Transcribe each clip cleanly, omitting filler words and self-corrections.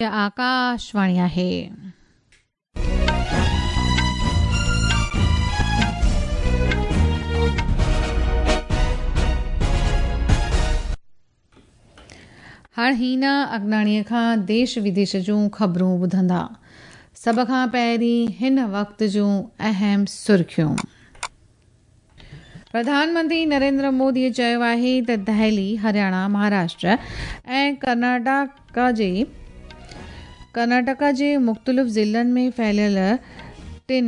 آڪاشواڻي آهي. هاڻ هينا اگناڻيء کان ديش وديش جون خبرون ٻڌندا. سڀ کان پهرين هن وقت جون اهم سرخيون. پرڌان منتري نريندر مودي چيو آهي ته دهلي، هرياڻا، مهاراشٽر ۽ ڪرناٽڪا جي ڪرناٽڪا جي مختلف ضلعن ۾ ڦهليل ٽن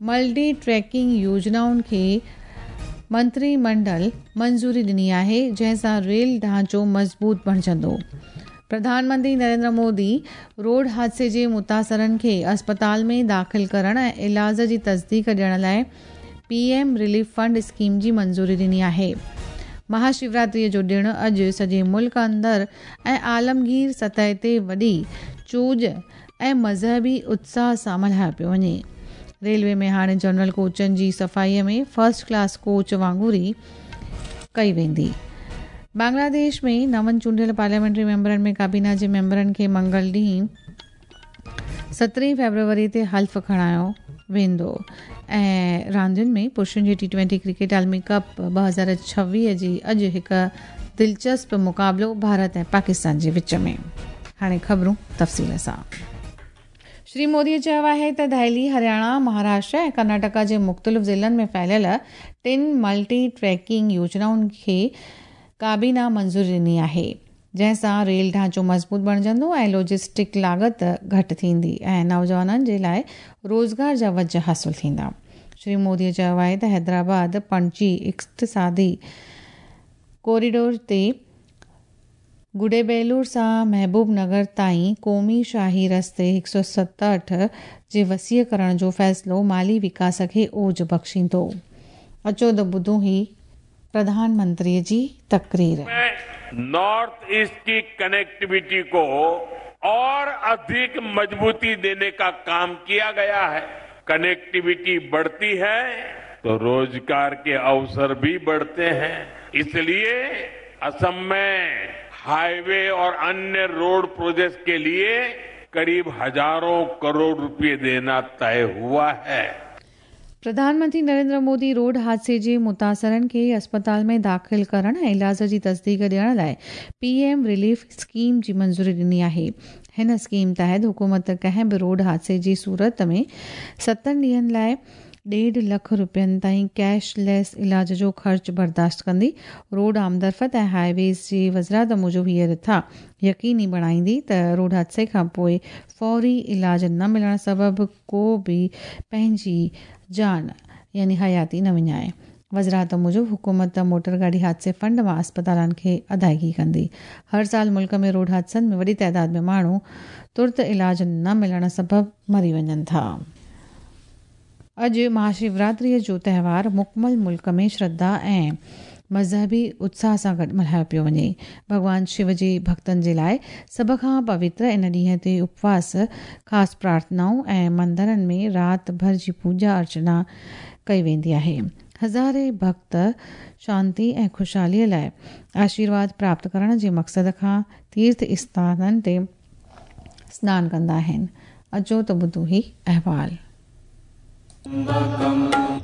ملٽي ٽريڪنگ يوجنائن کي منتري منڊل منظوري ڏني آهي، جنهن سان ريل ڍانچو مضبوط بڻجندو. پرڌان منتري نريندر مودي روڊ حادثي جي متاثرن کي اسپتال ۾ داخل ڪرڻ ۽ علاج جي تصديق ڏيڻ لاء P M relief fund scheme جي منظوري ڏني آهي. مها شوراتريء جو ڏڻ اڄ سڄي ملڪ اندر ۽ عالمگير سطح تي وڏي چوڄ ۽ مذهبي اتساهه سان ملهايو پيو وڃي. ريلوي ۾ هاڻي جنرل ڪوچن جي صفائي ۾ فرسٽ ڪلاس ڪوچ وانگر ئي ڪئي ويندي. بنگلاديش ۾ نون چونڊيل پارليامينٽري ميمبرن ۾ ڪابينا جي ميمبرن کي منگل ڏينهن سترهين فيبروري تي حلف کڻايو ويندو ۽ راندين ۾ پرشن جي ٽي ٽوئنٽي ڪرڪيٽ عالمي ڪپ 2026 جي اڄ هڪ دلچسپ مقابلو ڀارت ۽ پاڪستان جي وچ ۾. هاڻي خبرون تفصيل سان. شري مودي چيو آهي ته دهلي، هرياڻا، مهاراشٽر ۽ ڪرناٽڪا جي مختلف ضلعن ۾ ڦهليل ٽن ملٽي ٽريڪنگ يوجنائن کي ڪابينا منظوري ڏني آهي، جنهن سان ريل ڍانچو مضبوط بڻجندو ۽ لاجسٽڪ لاڳت گهٽ ٿيندي ۽ نوجوانن جي لاء روزگار جا وجهه حاصل ٿيندا. شري مودي چيو آهي ته حيدرآباد پڻجي اقتصادي ڪوريڊور تي گڊيبيلور سان محبوب نگر تائين قومي شاهي رستي 167 جي وسيع ڪرڻ جو فيصلو مالي وڪاس کي اوج بخشيندو. اچو ته ٻڌون هي پرڌان منتري جي تقرير. نارٿ ايسٽ ڪي ڪنيڪٽيوٽي ڪو اور اڌڪ مضبوطي ديني ڪا ڪام ڪيا گيا هي. ڪنيڪٽيوٽي بڙهتي هي تو روزگار ڪي اوسر ڀي بڙهتي هين. اس ليي असम में हाईवे और अन्य रोड प्रोजेक्ट्स के लिए करीब हजारों करोड़ रुपए देना तय हुआ है. پرڌان منتري نريندر مودي روڊ حادثي جي متاثرن کي اسپتال ۾ داخل ڪرڻ ۽ علاج جي تصديق ڏيڻ لاء پي ايم رليف اسڪيم جي منظوري ڏني آهي. هن اسڪيم تحت حڪومت ڪنهن به روڊ حادثي جي صورت ۾ ستن ڏينهن لاء ڏيڍ لک رپين تائين ڪيش ليس علاج جو خرچ برداشت ڪندي. روڊ آمدرفت ۽ هاء ويز جي وزارت موجب هيء رٿا يقيني بڻائيندي ته روڊ حادثي کانپوء فوري علاج نه ملڻ سبب ڪو به پنهنجي جان يعني حياتي نه وڃائي. وزارت موجب حڪومت موٽر گاڏي حادثي فنڊ مان اسپتالن کي ادائيگي ڪندي. هر سال ملڪ ۾ روڊ حادثن ۾ وڏي تعداد ۾ ماڻهو ترت علاج نه ملڻ سبب مري وڃن ٿا. اڄ مهاشوراتريء جو تهوار مڪمل ملڪ ۾ شرڌا ۽ مذهبي اتساهه سان گڏ ملهايو پيو وڃي. ڀڳوان شو جي ڀڳتن جي لاء سڀ کان پوتر ان ڏينهن تي اپواس، خاص پرارٿنائون ۽ مندرن ۾ رات ڀر جي پوڄا ارچنا ڪئي ويندي آهي. هزارين ڀڳت شانتي ۽ خوشحاليء لاء آشيرواد پراپت ڪرڻ جي مقصد کان تيرٿ اسٿانن تي سنان ڪندا آهن. اچو ته ٻڌون هي احوال.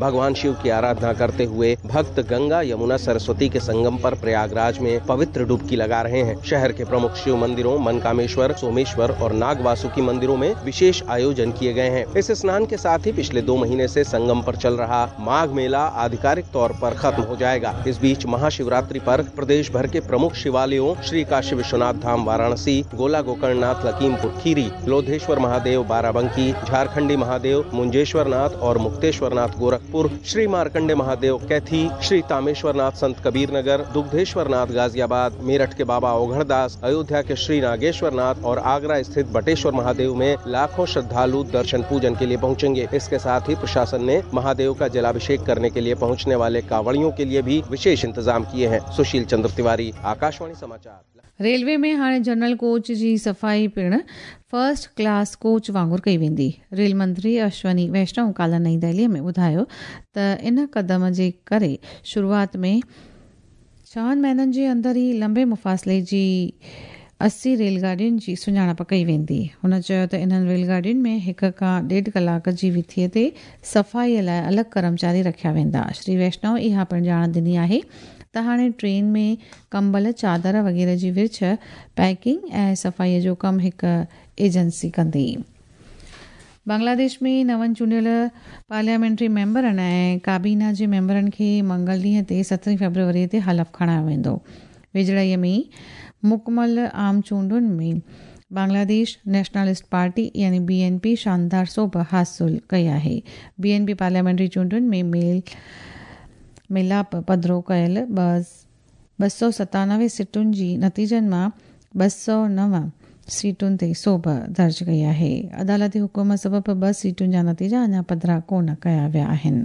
भगवान शिव की आराधना करते हुए भक्त गंगा यमुना सरस्वती के संगम पर प्रयागराज में पवित्र डुबकी लगा रहे हैं। शहर के प्रमुख शिव मंदिरों मनकामेश्वर, सोमेश्वर और नागवासुकी मंदिरों में विशेष आयोजन किए गए हैं। इस स्नान के साथ ही पिछले 2 महीने से संगम पर चल रहा माघ मेला आधिकारिक तौर पर खत्म हो जाएगा। इस बीच महाशिवरात्रि पर प्रदेश भर के प्रमुख शिवालयों श्री काशी विश्वनाथ धाम वाराणसी, गोला गोकर्णनाथ लखीमपुर खीरी, लोधेश्वर महादेव बाराबंकी, झारखंडी महादेव मुंजेश्वर नाथ और मुक्तेश्वर नाथ गोरखपुर, श्री मार्कंडे महादेव कैथी, श्री तामेश्वर नाथ संत कबीर नगर, दुग्धेश्वर नाथ गाजियाबाद, मेरठ के बाबा ओघड़दास, अयोध्या के श्री नागेश्वर नाथ और आगरा स्थित बटेश्वर महादेव में लाखों श्रद्धालु दर्शन पूजन के लिए पहुंचेंगे। इसके साथ ही प्रशासन ने महादेव का जलाभिषेक करने के लिए पहुंचने वाले कांवड़ियों के लिए भी विशेष इंतजाम किए हैं। सुशील चंद्र तिवारी, आकाशवाणी समाचार। रेलवे में हाणे जनरल कोच जी सफ़ाई पिणु फर्स्ट क्लास कोच वांगुरु कई वेंदी। रेल मंत्री अश्वनी वैष्णव काल्ह नई दिल्लीअ में ॿुधायो त इन कदम जे करे शुरूआत में 6 महीननि जे अंदरि ई लंबे मुफ़ासिले जी 80 ريل گاڏين جي سڃاڻپ ڪئي ويندي. هن چيو ته انهن ريل گاڏين ۾ هڪ کان ڏيڍ ڪلاڪ جي وٿيء تي صفائيء لاء الڳ ڪرمچاري رکيا ويندا. شري ويشنو اها پڻ ڄاڻ ڏني آهي ته هاڻي ٽرين ۾ ڪمبل، چادر وغيره جي ورڇ، پيڪنگ ۽ صفائيء جو ڪم هڪ ايجنسي ڪندي. بنگلاديش ۾ نون چونڊيل پارليامينٽري ميمبرن ۽ ڪابينا جي ميمبرن کي منگل ڏينهن تي سترهين فيبروري تي حلف کڻايو ويندو. ويجهڙائيء ۾ مڪمل عام چونڊن ۾ بنگلاديش نيشنلسٽ پارٽي يعني بي اين پي شاندار سوڀ حاصل ڪئي آهي. بي اين پي پارليامينٽري چونڊن ۾ ميل ميلاپ پڌرو ڪيل 297 سيٽن جي نتيجن مان 209 سيٽن تي سوڀ درج ڪئي آهي. عدالتي حڪم سبب ٻه سيٽن جا نتيجا اڃا پڌرا ڪونه ڪيا ويا آهن.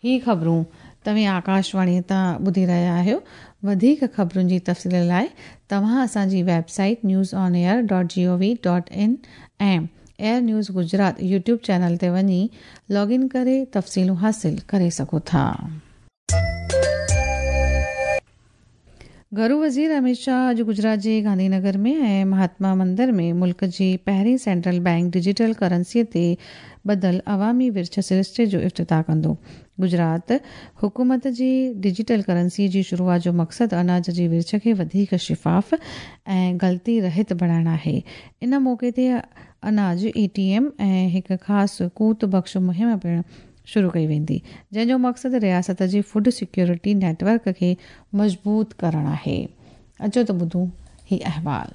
هي خبرون توهين آڪاشواڻي تان ٻڌي رهيا آهيو. وڌيڪ خبرن جي تفصيل لاء توهان اسان جي website news on air dot G O V dot in ۽ air news Gujarat YouTube channel تي وڃي لاگ ان ڪري تفصيلون حاصل ڪري سگهو ٿا. گهرو وزير اميت شاهه اڄ گجرات جي گانڌي نگر ۾ ۽ مهاتما مندر ۾ ملڪ جي پهرين سينٽرل بئنڪ ڊجيٽل ڪرنسي تي ٻڌل عوامي ورڇ سرشتي جو افتتاح ڪندو. گجرات حڪومت جي ڊجيٽل ڪرنسي جي شروعات جو مقصد اناج جي ورڇ کي وڌيڪ شفاف ۽ غلطي رهت بڻائڻ آهي. ان موقعي تي اناج اي ٽي ايم ۽ هڪ خاص قوت بخش مهم پڻ شروع ڪئي ويندي، جنهن جو مقصد رياست جي فوڊ سيڪيورٽي نيٽ ورڪ کي مضبوط ڪرڻ آهي. اچو ته ٻڌون هي احوال.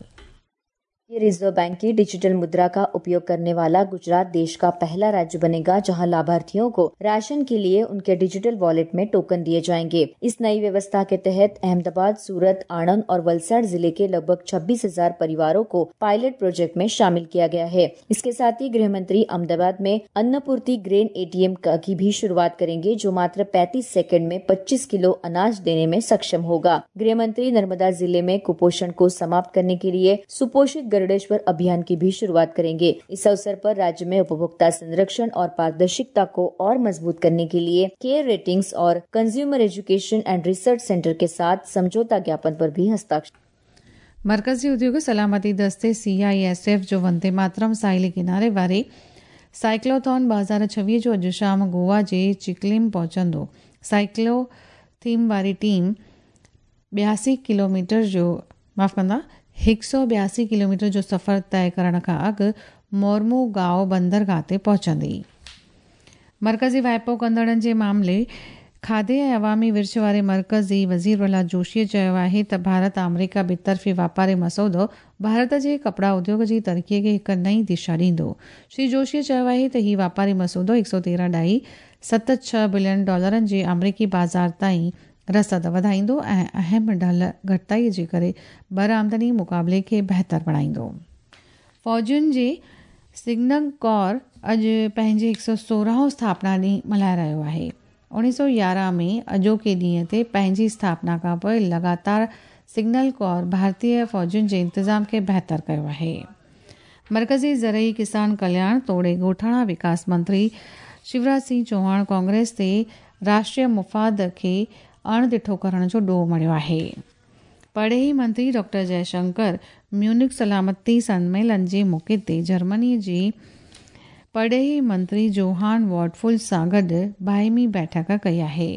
ये रिजर्व बैंक की डिजिटल मुद्रा का उपयोग करने वाला गुजरात देश का पहला राज्य बनेगा, जहां लाभार्थियों को राशन के लिए उनके डिजिटल वॉलेट में टोकन दिए जाएंगे। इस नई व्यवस्था के तहत अहमदाबाद, सूरत, आणंद और वलसाड़ जिले के लगभग 26,000 परिवारों को पायलट प्रोजेक्ट में शामिल किया गया है। इसके साथ ही गृह मंत्री अहमदाबाद में अन्नपूर्ति ग्रेन एटीएम की भी शुरुआत करेंगे, जो मात्र 35 सेकंड में 25 किलो अनाज देने में सक्षम होगा। गृह मंत्री नर्मदा जिले में कुपोषण को समाप्त करने के लिए सुपोषित गरुड़ेश्वर अभियान की भी शुरुआत करेंगे। इस अवसर पर राज्य में उपभोक्ता संरक्षण और पारदर्शिता को और मजबूत करने के लिए केयर रेटिंग्स और consumer education and research centre के साथ समझौता ज्ञापन पर भी हस्ताक्षर। मर्कज़ी उद्योग सलामती दस्ते सी I S F जो वंदे मातरम साहिली किनारे वारे साइक्लोथॉन 2026 जो अॼु शाम गोवा जे चिकलिम पहुचंदो। साइक्लो थीम वारी टीम 82 किलोमीटर जो माफ़ कंदा 182 किलोमीटर जो सफ़र तय करण खां अॻु मोर्मूगाओ बंदरगाह ते पहुचंदी। मर्कज़ी वाइपो कंदड़नि जे मामले खाधे ऐं अवामी विर्छ वारे मर्कज़ी वज़ीर प्रहलाद जोशीअ चयो आहे त भारत आमरीका ॿितरफ़ी वापारी मसौदो भारत जे कपिड़ा उद्योग जी तरक़ीअ खे हिकु नई दिशा ॾींदो। श्री जोशीअ चयो आहे त ही वापारी मसौदो 113.76 बिलियन डॉलरनि जे आमरीकी बाज़ार ताईं रसद वधाईंदो ऐं अहम ढल घटिताई जे करे बरामदनी मुक़ाबले खे बहितर बणाईंदो। फ़ौजियुनि जे सिग्नल कॉर अॼु पंहिंजे 116 स्थापना ॾींहुं मल्हाए रहियो आहे। 1911 में अॼोके ॾींहं ते पंहिंजी स्थापना खां पोइ लगातार सिग्नल कॉर भारतीय फ़ौजियुनि जे इंतज़ाम खे बहितर कयो आहे। मर्कज़ी ज़रई किसान कल्याण तोड़े ॻोठाणा विकास मंत्री शिवराज सिंह चौहान कांग्रेस ते राष्ट्रीय मुफ़ाद खे अणॾिठो करण जो ॾोह मढ़ियो आहे। परॾेही मंत्री डॉक्टर जयशंकर म्यूनिख सलामती सम्मेलन जे मौक़े ते जर्मनी जे परॾेही मंत्री जोहान वॉडफुल सां गॾु बाहिमी बैठक कई आहे।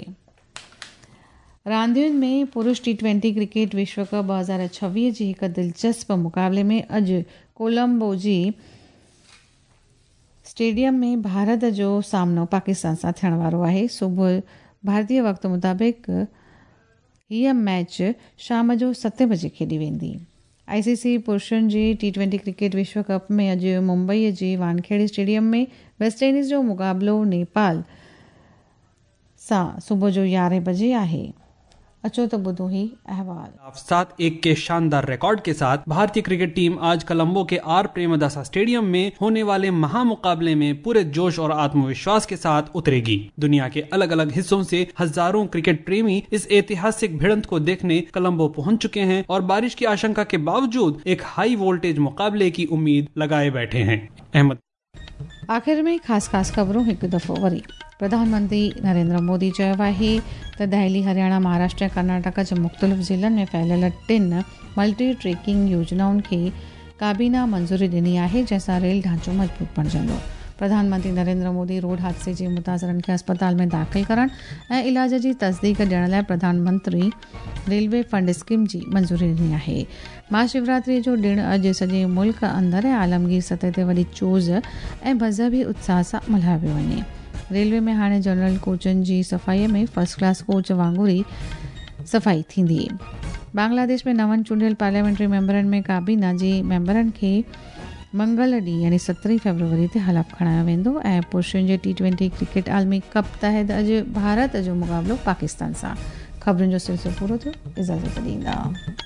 रांदियुनि में पुरुष टी20 क्रिकेट विश्व कप 2026 जी हिकु दिलचस्प मुक़ाबले में अॼु कोलंबो जी स्टेडियम में भारत जो सामनो पाकिस्तान सां थियण वारो आहे। सुबुह भारतीय वक़्त मुताबिक़ हीअ मैच शाम जो 7 बजे खेॾी वेंदी। आईसीसी पुरुषनि जी टी20 क्रिकेट विश्व कप में अॼु मुंबईअ जे वानखेड़े स्टेडियम में वेस्ट इंडीज़ जो मुक़ाबिलो नेपाल सां सुबुह जो 11 बजे आहे। अचो त ॿुधो ही अहवाल। 7-1 के शानदार रिकॉर्ड के साथ भारतीय क्रिकेट टीम आज कोलंबो के are Premadasa stadium में होने वाले महामुकाबले में पूरे जोश और आत्मविश्वास के साथ उतरेगी। दुनिया के अलग अलग हिस्सों से हजारों क्रिकेट प्रेमी इस ऐतिहासिक भिड़ंत को देखने कोलंबो पहुंच चुके हैं और बारिश की आशंका के बावजूद एक हाई वोल्टेज मुकाबले की उम्मीद लगाए बैठे हैं। अहमद आख़िर में खास खास ख़बरूं हिकु दफ़ो वरी। پرڌان منتري نريندر مودي چيو آهي ته دهلي، هرياڻا، مهاراشٽر ۽ ڪرناٽڪا جي مختلف ضلعن ۾ ڦهليل ٽن ملٽي ٽريڪنگ يوجنائن کي ڪابينا منظوري ڏني آهي، جنهن سان ريل ڍانچو مضبوط بڻجندو. پرڌان منتري نريندر مودي روڊ حادثي جي متاثرن کي اسپتال ۾ داخل ڪرڻ ۽ علاج جي تصديق ڏيڻ لاء Pradhan Mantri railway fund scheme جي منظوري ڏني آهي. مها شوراتري جو ڏڻ اڄ سڄي ملڪ اندر ۽ عالمگير سطح تي وڏي چوز ۽ مذهبي اتساهه سان ملهايو پيو وڃي. ريلوي ۾ هاڻي جنرل ڪوچن جي صفائي ۾ فرسٽ ڪلاس ڪوچ وانگر ئي صفائي ٿيندي. بنگلاديش ۾ نون چونڊيل پارليامينٽري ميمبرن ۾ ڪابينا جي ميمبرن کي منگل ڏينهن يعني سترهين فيبروري تي حلف کڻايو ويندو ۽ پرشن جي ٽي ٽوئنٽي ڪرڪيٽ عالمي ڪپ تحت اڄ ڀارت جو مقابلو پاڪستان سان. خبرن جو سلسلو پورو ٿيو اجازت ڏيندا.